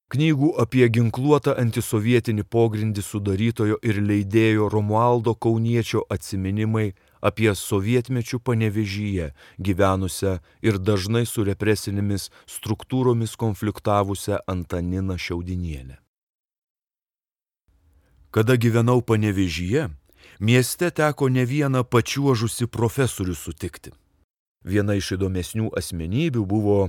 Knygų apie ginkluotą antisovietinį pogrindį sudarytojo ir leidėjo Romualdo Kauniečio atsiminimai apie sovietmečių Panevėžyje gyvenusią ir dažnai su represinėmis struktūromis konfliktavusią Antaniną Šiaudinienę. Kada gyvenau Panevėžyje, mieste teko ne vieną pačiuožusi profesorių sutikti. Viena iš įdomesnių asmenybių buvo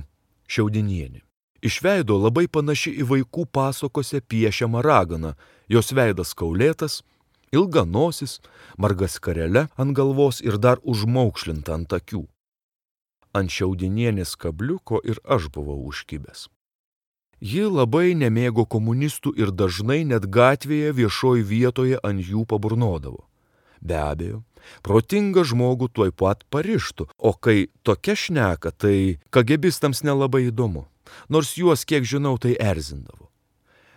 Šiaudinienė. Iš veido labai panaši į vaikų pasakose piešiamą raganą, jos veidas kaulėtas, ilga nosis, marga skarele ant galvos ir dar užmaukšlinta ant akių. Ant Šiaudinienės kabliuko ir aš buvau užkibęs. Ji labai nemėgo komunistų ir dažnai net gatvėje viešoj vietoje ant jų paburnodavo. Be abejo, protingą žmogų tuoj pat parištų, o kai tokia šneka, tai kagebistams nelabai įdomu, nors juos, kiek žinau, tai erzindavo.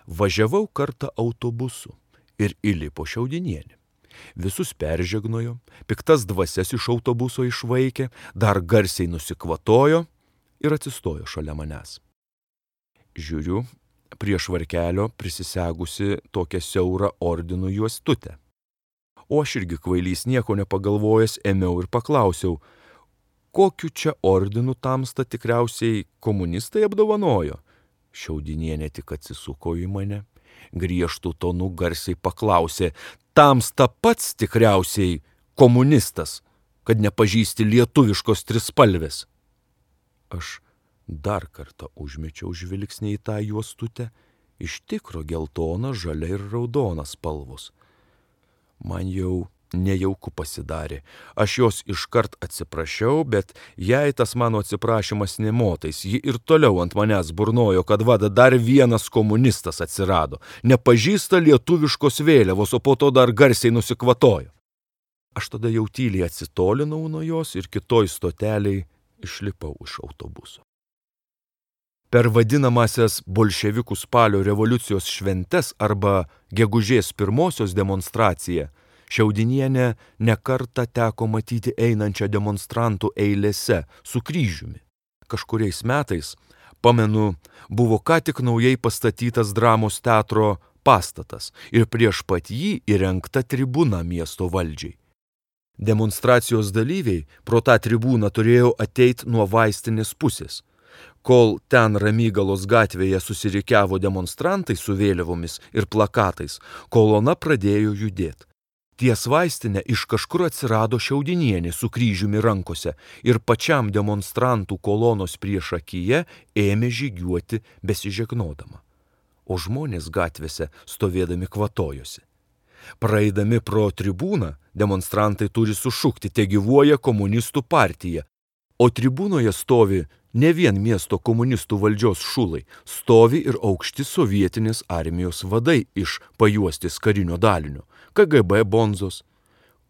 Važiavau kartą autobusu ir įlipo Šiaudinienė. Visus peržegnojo, piktas dvasias iš autobuso išvaikė, dar garsiai nusikvatojo ir atsistojo šalia manęs. Žiūriu, prie švarkelio prisisegusi tokią siaurą ordinų juostutę. O aš irgi kvailys nieko nepagalvojęs ėmiau ir paklausiau, kokiu čia ordinu tamsta tikriausiai komunistai apdovanojo. Šiaudinienė tik atsisuko į mane, griežtų tonu garsiai paklausė, tamsta pats tikriausiai komunistas, kad nepažįsti lietuviškos trispalvės. Aš dar kartą užmečiau žvilgsnį į tą juostutę, iš tikro geltona, žalia ir raudona spalvos. Man jau nejauku pasidarė. Aš jos iškart atsiprašiau, bet jai tas mano atsiprašymas nemotais. Ji ir toliau ant manęs burnojo, kad vada dar vienas komunistas atsirado. Nepažįsta lietuviškos vėliavos, o po to dar garsiai nusikvatojo. Aš tada jau tyliai atsitolinau nuo jos ir kitoj stoteliai išlipau iš autobuso. Per vadinamasias bolševikų spalio revoliucijos šventes arba gegužės 1 demonstraciją Šiaudinienę nekartą teko matyti einančią demonstrantų eilėse su kryžiumi. Kažkuriais metais, pamenu, buvo ką tik naujai pastatytas dramos teatro pastatas ir prieš pat jį įrengta tribūna miesto valdžiai. Demonstracijos dalyviai pro tą tribūną turėjo ateiti nuo vaistinės pusės. Kol ten Ramygalos gatvėje susirikiavo demonstrantai su vėliavomis ir plakatais, kolona pradėjo judėti. Ties vaistinę iš kažkur atsirado Šiaudinienė su kryžiumi rankose ir pačiam demonstrantų kolonos priešakyje ėmė žygiuoti besižegnodama. O žmonės gatvėse stovėdami kvatojosi. Praeidami pro tribūną, demonstrantai turi sušukti, te gyvuoja komunistų partija, o tribūnoje stovi ne vien miesto komunistų valdžios šulai, stovi ir aukšti sovietinės armijos vadai iš pajuostės karinio dalinio, KGB bonzos.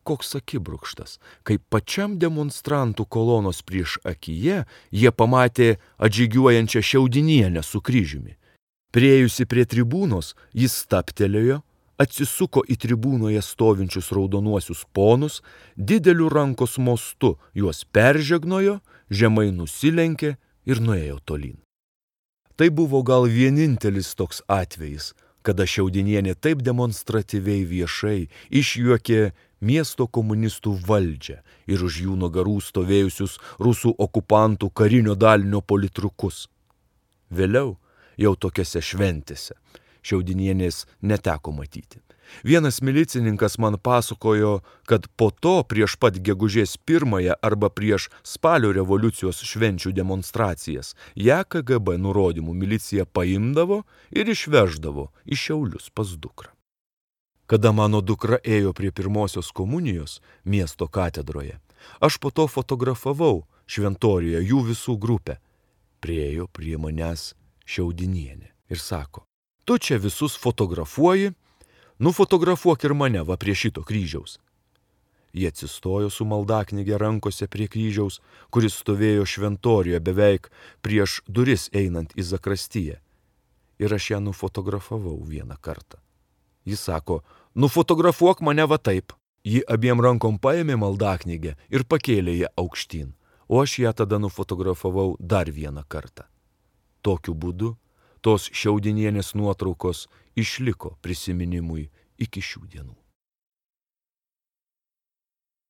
Koks akibrukštas, kai pačiam demonstrantų kolonos prieš akyje jie pamatė atžygiuojančią Šiaudinienę su kryžiumi. Priėjusi prie tribūnos, jis stabtelėjo, atsisuko į tribūnoje stovinčius raudonuosius ponus, dideliu rankos mostu juos peržegnojo, žemai nusilenkė ir nuėjo tolyn. Tai buvo gal vienintelis toks atvejis, kada Šiaudinienė taip demonstratyviai viešai išjuokė miesto komunistų valdžią ir už jų nugarų stovėjusius rusų okupantų karinio dalinio politrukus. Vėliau, jau tokiose šventėse, Šiaudinienės neteko matyti. Vienas milicininkas man pasakojo, kad po to prieš pat gegužės 1 arba prieš spalio revoliucijos švenčių demonstracijas ją KGB nurodymų milicija paimdavo ir išveždavo į Šiaulius pas dukrą. Kada mano dukra ėjo prie pirmosios komunijos miesto katedroje, aš po to fotografavau šventorijoje jų visų grupę. Priėjo prie manęs Šiaudinienė ir sako, tu čia visus fotografuoji, nufotografuok ir mane va prie šito kryžiaus. Jie atsistojo su maldaknyge rankose prie kryžiaus, kuris stovėjo šventorijoje beveik prieš duris einant į zakristiją. Ir aš ją nufotografavau vieną kartą. Jis sako, nufotografuok mane va taip. Ji abiem rankom paėmė maldaknygę ir pakėlė ją aukštyn, o aš ją tada nufotografavau dar vieną kartą. Tokiu būdu tos Šiaudinienės nuotraukos išliko prisiminimui iki šių dienų.